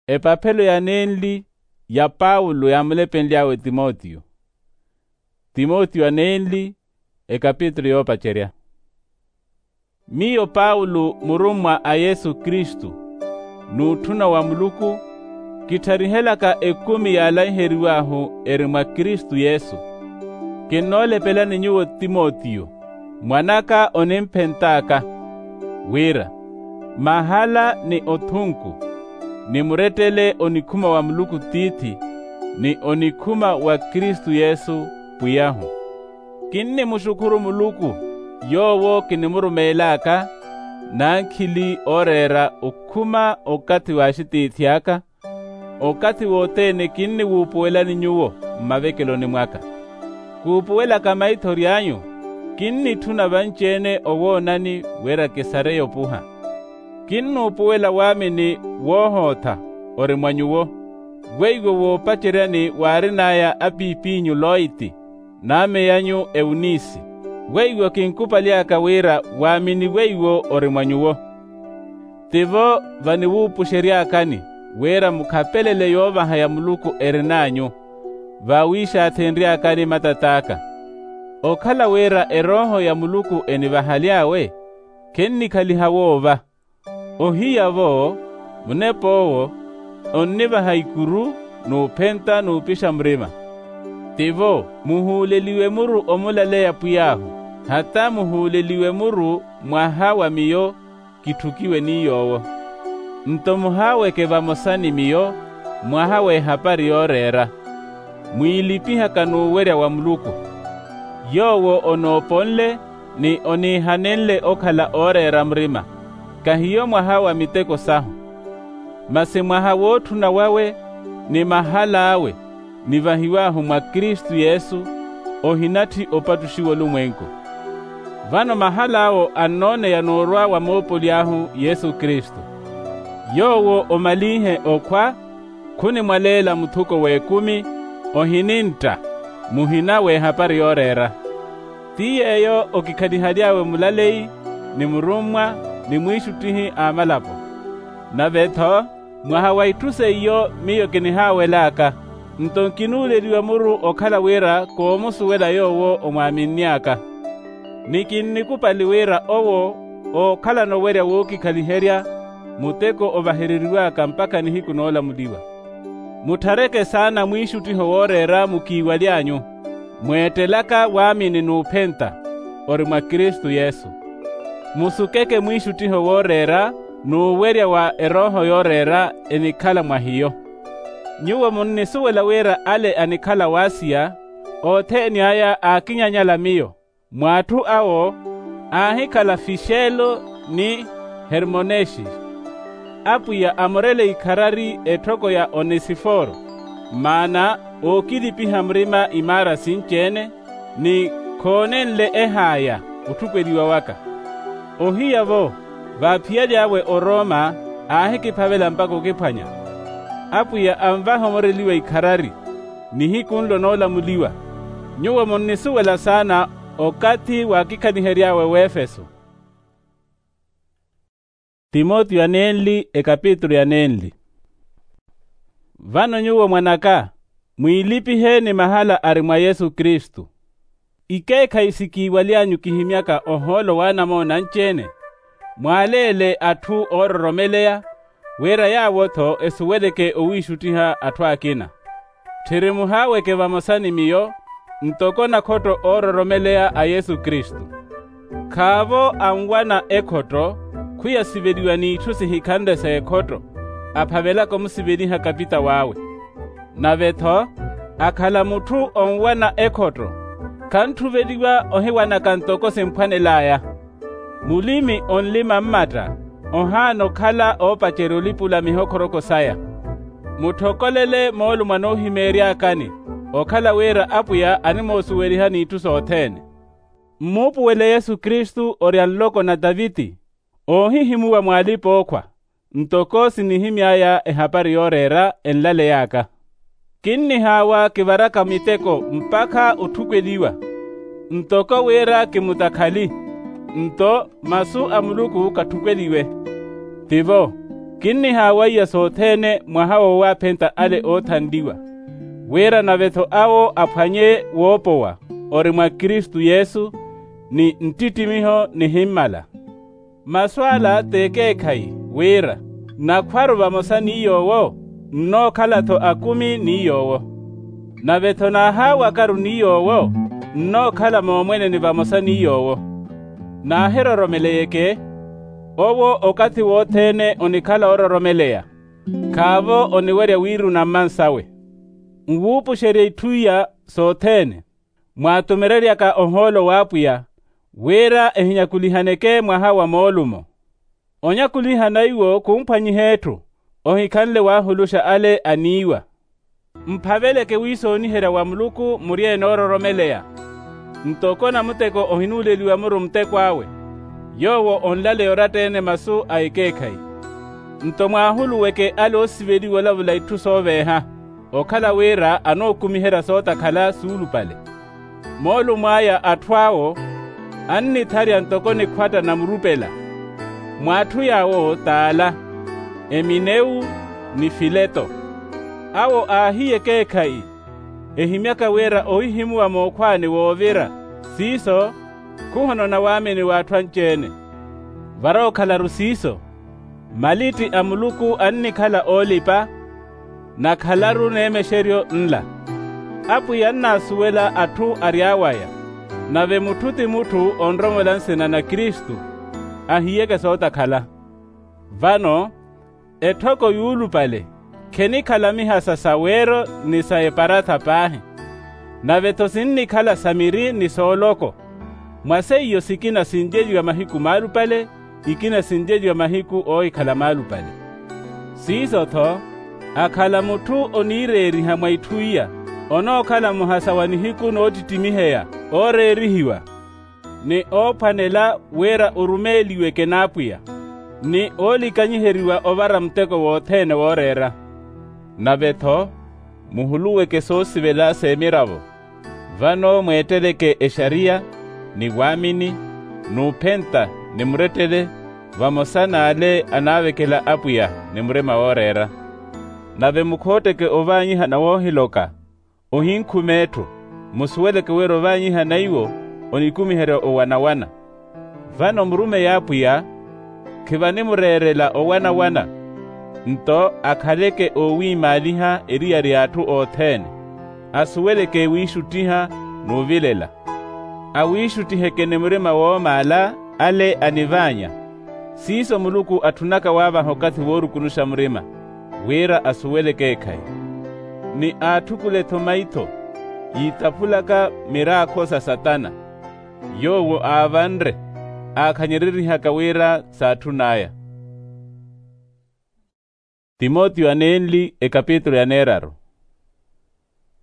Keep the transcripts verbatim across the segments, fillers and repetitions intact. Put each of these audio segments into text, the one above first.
Epaphelo ya nenli ya paulo yaamulepenly'awe timotiyo. Timotiyo a nenli, ekapitulu yoopacerya. Miyo paulo murummwa a yesu kristu, n'utthuna wa muluku, kittharihelaka ekumi yaalaiheriw'ahu eri mwa kristu yesu. Kinnoolepelani nyuwo timotiyo, mwan'aka onimphent'aka, wira mahala ni othunku, ni murettele onikhuma wa muluku tiithi, ni onikhuma wa kristu yesu, pwiy'ahu. Kinnimuxukhuru muluku, yoowo kinimurumeel'aka, n'ankhili ooreera okhuma okathi w'axitiithi aka, okathi wothene kinniwuupuwelani nyuwo mmavekeloni mwaka. Kuupuwelaka maithori anyu, kinnitthuna vanci-ene owoonani wira kisareye opuha. Kinnuupuwela waamini woohootha ori mwa nyuwo, weiwo woopaceryani waarin'aya apiip'inyu loiti, n'ame anyu eunisi, weiwo kinkupaly'aka wira waamini weiwo ori mwa nyuwo. Tivo vaniwuupuxery'akani wira mukhapelele yoovaha ya muluku erin'anyu, vaawiixaathenry'akani matat'aka. Okhala wira erooho ya muluku enivahaly'awe, khennikhaliha woova. Ohiya-vo, munep'owo onnivaha ikuru n'uphenta n'upixa murima. Tivo muhuuleliwe muru omulaleya pwiy'ahu, hata muhuuleliwe muru mwaha wa miyo kitthukiwe ni yoowo. Nto muhaaweke vamosa ni miyo mwaha w'ehapari yooreera, mwiilipihaka n'uwerya wa muluku. Yoowo onooponle ni oniihanenle okhala ooreera murima, kahiyo mwaha wa miteko sahu. Masi mwaha wootthuna wawe ni mahal'awe nivahiw'ahu mwa kristu yesu, ohinatthi opattuxiwa olumwenku. Vano mahal'awo annooneya n'urwa wa moopoli ahu yesu kristu. Yoowo omalinhe okhwa, khunimwaleela muthuko w'ekumi, ohinintta muhina w'ehapari yooreera. Ti yeeyo okikhalihaly'awe mulaleyi, ni murummwa, ni mwiixuttihi a malapo. Nave-tho mwaha wa itthu seiyo miyo kinihaawel'aka, nto nkinuuleliwa muru okhala wira koomusuwela yoowo omwaaminny'aka. Ni kinnikupali wira owo ookhalana owerya wookikhaliherya muteko ovahereriw'aka mpakha nihiku noolamuliwa. Mutthareke saana mwiixuttiho wooreera mukiiwaly'anyu, mweettelaka waamini n'uphenta ori mwa kristu yesu. Musukeke mwiixuttiho wooreera n'uwerya wa erooho yooreera enikhala mwa hiyo. Nyuwo munnisuwela wira ale anikhala w'asiya, othene aya aakinyanyala miyo. Mw'atthu awo aahikhala fixelo ni hermonexi. Apwiya amorele ikharari etthoko ya onesiforo, maana ookilipiha murima imaara sinci-ene, ni khoonenle ehaaya otthukweliwa waka. Ohiya-vo vaaphiyaly'awe oroma aahikiphavela mpakha okiphwanya. Apwiya anvaha omoreliwa ikharari nihiku nlo noolamuliwa. Nyuwo munnisuwela saana okathi waakikhalihery'awe w'efeso. Timotiyo anenli ekapitulu ya nenli. Vano nyuwo mwan'aka, mwiilipihe ni mahala ari mwa yesu kristu. Ikeekhayi sikiiwaly'anyu kihimyaka ohoolo w'anamoona anci-ene, mwaaleele atthu oororomeleya, wira yaawo-tho esuweleke owiixuttiha atthu akina. Tthiri muhaaweke vamosa ni miyo ntoko nakhotto oororomeleya a yesu kristu. Khaavo anwana ekhotto khwiyasiveliwa n'itthu sihikhanle s'ekhotto, aphavelaka omusiveliha kapitaw'awe. Nave-tho akhala mutthu onwana ekhotto, khantthuveliwa ohiwanaka ntoko simphwanel'aya. Mulimi onlima mmatta ohaana okhala oopacerya olipula mihokhoroko saya. Mutthokolele moolumo anoohimeery'akani, okhala wira apwiya animoosuweliha n'itthu sothene. Mmuupuwele yesu kristu orya nloko na taviti, oohihimuwa mw'alipa-ookhwa, ntoko sinihimy'aya ehapari yooreera enlaley'aka. Kinnihaawa kivaraka miteko mpakha otthukweliwa, ntoko wira kimutakhali, nto masu a muluku kathukweliwe. Tivo, Kinnihawaiya sothene mwaha wowaaphenta ale oothanliwa, wira nave-tho awo aphwanye woopowa ori mwa kristu yesu, ni nttittimiho nihimmala. Masu ala t'ekeekhayi, wira nakhwaru vamosa ni yoowo, nnookhala-tho akumi ni yoowo. Nave-tho naahaawakaru ni yoowo, nnookhala moomweneni vamosa ni yoowo. Naahiroromeleyeke, owo okathi wothene onikhala oororomeleya, khaavo oniwerya wiiruna mmansawe. Nwuupuxerya itthu iya sothene, mwaatumereryaka ohoolo w'apwiya, wira ehinyakulihaneke mwaha wa moolumo. Onyakulihana iwo khumphwanyiha etthu, ohikhanle waahuluxa ale aniiwa. Mphaveleke wiisooniherya wa muluku muri enoororomeleya, ntoko namuteko ohinuuleliwa muru muteko awe, yoowo onlaleya oratta-ene masu a ekeekhayi. Nto mwaahuluweke ale oosiveliwa olavula itthu sooveeha, okhala wira anookumiherya sootakhala suulupale. Moolumo aya atthu awo annitharya ntoko nikhwatta namurupela. Mw'atthu yaawo t'ala, eminewu, ni fileto. Awo aahiya ekeekhayi, ehimyaka wira ohihimuwa mookhwaani woovira, siiso khuhonona waamini w'atthu anci-ene. Varookhalaru siiso, malitti a muluku annikhala oolipa, nakhalaru neemexeryo nla. Apwiya annaasuwela atthu ary'awaya, nave mutthu ti mutthu onromola nsina na kristu, ahiyeke sootakhala. Vano, etthoko yuulupale, khenikhala mihasa sa weero ni sa eparatha paahi, nave-tho sinnikhala sa miri ni sooloko. Mwa seiyo sikina sinjeliwa mahiku maalupale, ikina sinjeliwa mahiku oohikhala maalupale. Siiso-tho, akhala mutthu oniireeriha mwa itthu iya, onookhala muhasa wa nihiku noottittimiheya ooreerihiwa, ni oophwanela wira orumeeliweke n'apwiya, ni oolikanyiheriwa ovara muteko wothene wooreera. Nave-tho, muhuluweke soosivela s'emiravo. Vano mweetteleke exariya, ni waamini, n'uphenta, ni murettele, vamosa n'ale anaavekela apwiya ni murima wooreera. Nave mukhootteke ovaanyihana woohiloka, ohinkhume etthu, musuweleke wira ovaanyihana iwo onikumiherya owanawana. Vano murumeyi apwiya, khivanimureerela owanawana, nto akhaleke oowiimaaliha eriyari y'atthu othene, asuweleke wiixuttiha n'uvilela. Awiixuttiheke ni murima woomaala ale anivaanya. Siiso muluku atthunaka waavaha okathi woorukunuxa murima, wira asuwele ekeekhayi. Ni aatthukule-tho maitho, yiitaphulaka miraakho sa satana, yoowo aavanre, aakhanyererihaka wira saatthun'aya. Timotiyo anenli ekapitulu ya neeraru.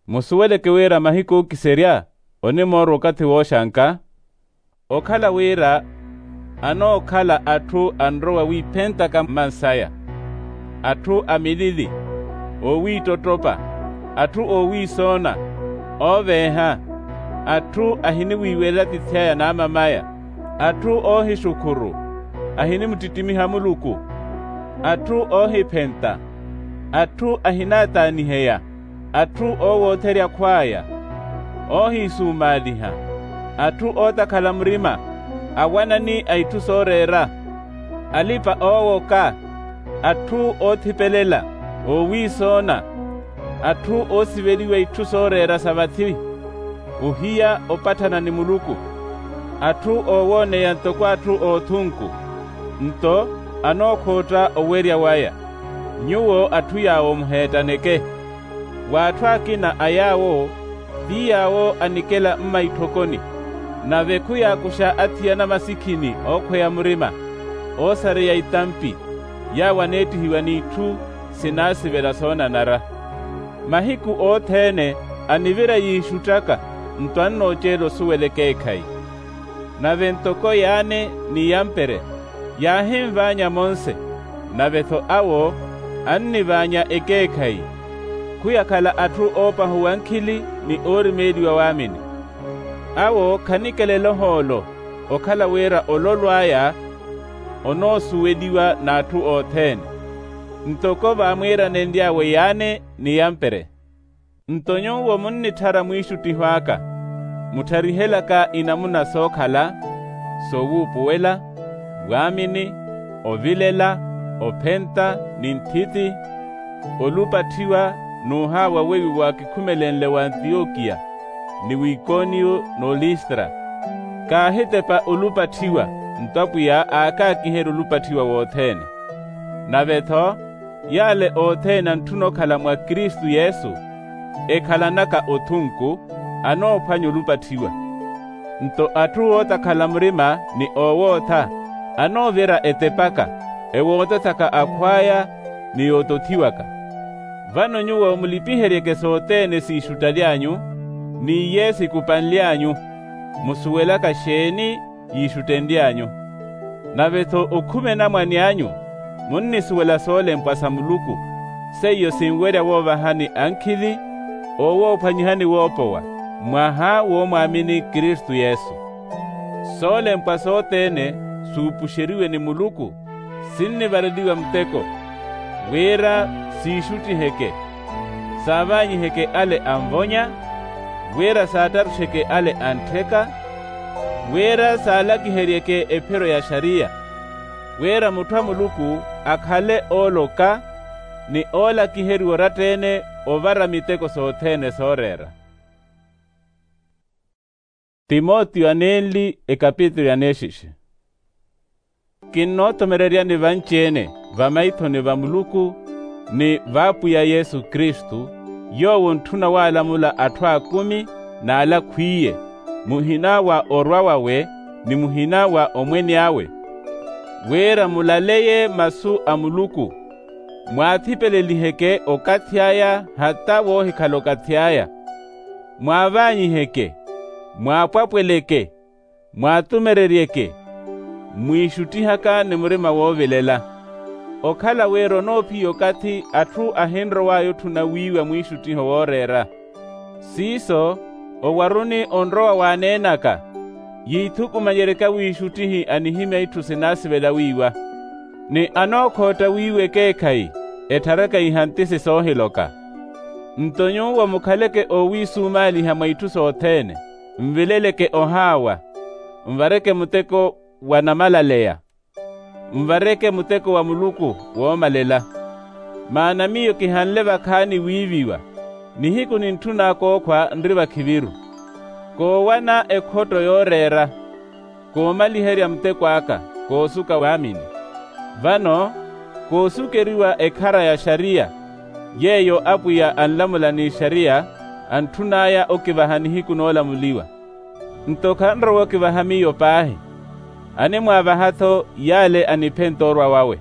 Musuweleke wira mahiku ookiserya onimoorwa okathi wooxanka, okhala wira anookhala atthu anrowa wiiphentaka mmansaya, atthu a milili, oowiittottopa, atthu oowiisoona, ooveeha, atthu ahiniwiiwelela atithi'aya n'amamaya, atthu oohixukhuru, ahinimuttittimiha muluku, atthu oohiphenta, atthu ahinaataaniheya, atthu oowootherya akhw'aya, oohiisumaaliha, atthu ootakhala murima, awanani a itthu sooreera, alipa-oowoka, atthu oothipelela, oowiisoona, atthu oosiveliwa itthu sooreera sa vathi, ohiya opatthana ni muluku, atthu oowooneya ntoko atthu oothunku, nto anookhootta owerya waya. Nyuwo atthu yaawo muheettaneke. W'atthu akina a yaawo, ti yaawo anikela mmaitthokoni, nave khuyaakuxa athiyana masikhini ookhweya murima, oosareya itampi, yaawo aneettihiwa n'itthu sinaasivela soonanara. Mahiku othene anivira yiixuttaka, nto annooceela osuwela ekeekhayi. Nave ntoko yaane ni yampere yaahinvaanya monse, nave-tho awo annivaanya ekeekhayi, khuyakhala atthu oopahuwa nkhili ni oorimeeliwa waamini. Awo khanikelela ohoolo, okhala wira ololo aya onoosuweliwa n'atthu othene. Ntoko vaamwiiranenly'awe yaane ni yampere. Nto nyuwo munnitthara mwiixuttiho aka, muttharihelaka inamuna sookhala, sowuupuwela, waamini, ovilela, ophenta, ni nthithi, olupatthiwa, n'uhaawa weiwo waakikhumelenle w'antiyokiya, ni w'ikoniyo, n'olistra. Kaahitepa olupatthiwa, nto apwiya aakaakiherya olupatthiwa wothene. Nave-tho, yaale othene antthuna okhala mwa kristu yesu, ekhalanaka othunku, anoophwanya olupatthiwa. Nto atthu ootakhala murima ni oowootha, anoovira etepaka, ewootothaka akhw'aya, ni yootothiwaka. Vano nyuwo mulipiheryeke sothene siixuttaly'anyu, n'iye sikupanly'anyu, musuwelaka xeeni yiixuttenly'anyu. Nave-tho okhume namwane anyu, munnisuwela soolempwa sa muluku, seiyo sinwerya woovahani ankhili, oowoophwanyihani woopowa, mwaha woomwaamini kristu yesu. Soolempwa sothene, suupuxeriwe ni muluku, sinnivareliwa muteko, wira siixuttiheke, saavaanyiheke ale anvonya, wira saattaruxeke ale anttheka, wira saalakiheryeke ephiro ya xariya, wira mutthu a muluku akhale ooloka, ni oolakiheriwa oratta-ene, ovara miteko sothene sooreera. Timotiyo anenli ekapitulu ya neexixe. Kinnootomereryani vanci-ene, vamaithoni va muluku, ni v'apwiya yesu kristu, yoowo ontthuna waalamula atthu aakumi, n'ale akhwiye, muhina wa orwa wawe, ni muhina wa omwene awe, wira mulaleye masu a muluku, mwaathipeleliheke okathi aya hata woohikhala okathi aya, mwaavaanyiheke, mwaapwapweleke, mwaatumereryeke, mwiixuttihaka ni murima woovilela. Okhala wira onoophiya okathi atthu ahinrow'aya otthuna wiiwa mwiixuttiho wooreera. Siiso, owaruni onrowa waaneenaka, yiithukumanyeryeke awiixuttihi anihimya itthu sinaasivela wiiwa, ni anookhootta wiiwa ekeekhayi, etthareke ihantisi soohiloka. Nto nyuwo mukhaleke oowiisumaaliha mwa itthu sothene, nvileleke ohaawa, nvareke muteko wa namalaleya, nvareke muteko wa muluku woomalela. Maana miyo kihanle vakhaani wiiviwa, nihiku nintthun'aka okhwa nri vakhiviru, koowana ekhotto yooreera, koomaliherya muteko aka, koosuka waamini. Vano, koosukeriwa ekhara ya xariya, yeeyo apwiya anlamula n'ixariya, antthun'aya okivaha nihiku noolamuliwa. Nto khanrowa okivaha miyo paahi, animwaavaha-tho yaale aniphenta orwa wawe.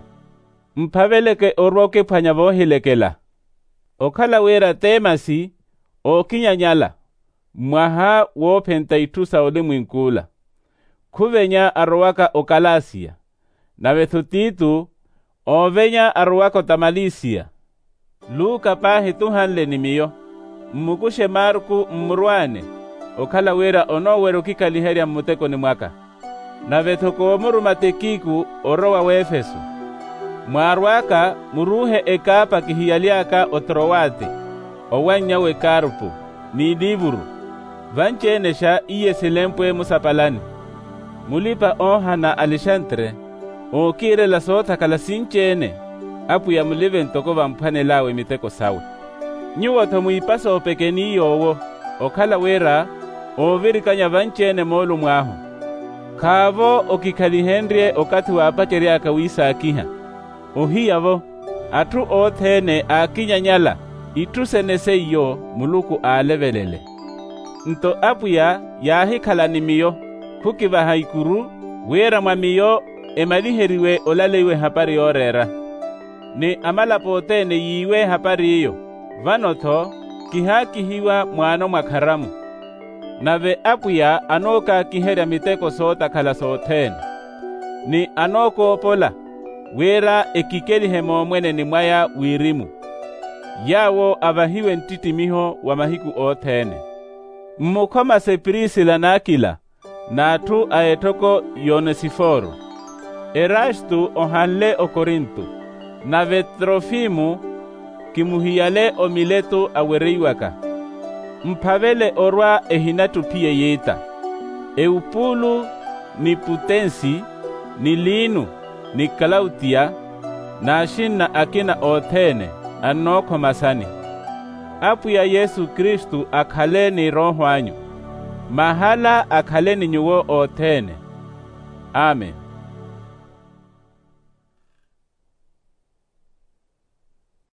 Mphaveleke orwa okiphwanya voohilekela. Okhala wira temasi, ookinyanyala, mwaha woophenta itthu sa olimwenk'ula, khuvenya arowaka okalasiya, nave-tho titu, oovenya arowaka otamalisiya. Luka paahi tuhanle ni miyo. Mmukuxe marku mmurwaane, okhala wira onoowerya okikhaliherya mmutekoni mwaka. Nave-tho koomuruma tikiku orowa w'efeso. Mwaarw'aka, muruuhe ekaapa kihiyaly'aka otrowati, owanny'awe karpu, ni liivuru. Vanci-enexa iye silempwe musapalani. Mulipa-oohana alexantre, ookiirela soothakhala sinci-ene, apwiya mulive ntoko vamphwanel'awe miteko sawe. Nyuwo-tho mwiipasa opekeni yoowo, okhala wira, oovirikanya vanci-ene moolumo ahu. Khaavo okikhalihenrye okathi waapacery'aka wiisaakiha. Ohiya-vo, atthu othene aakinyanyala, itthu sene seiyo muluku aalevelele. Nto apwiya yaahikhala ni miyo, khukivaha ikuru, wira mwa miyo emaliheriwe olaleiwa ehapari yooreera. Ni amalapo othene yiiwe ehapari iyo, vano-tho, kihaakihiwa mwaano mwa kharamu. Nave apwiya anookaakiherya miteko sootakhala sothene, ni anookoopola, wira ekikelihe moomweneni mwaya wirimu, yaawo avahiwe nttittimiho wa mahiku othene. Mmukhomase prisila n'akila, n'atthu a etthoko y'onesiforo. Erastu ohanle okorinto. Nave trofimu, kimuhiyale omiletu awereiwaka. Mphavele orwa ehinatthu ophiya yiita. Ewupuulu, ni putensi, ni liinu, ni klautiya, n'axinna akina othene, annookhwa masani. Apwiya yesu kristu akhale ni rooho anyu. Mahala akhale ni nyuwo othene. Amen.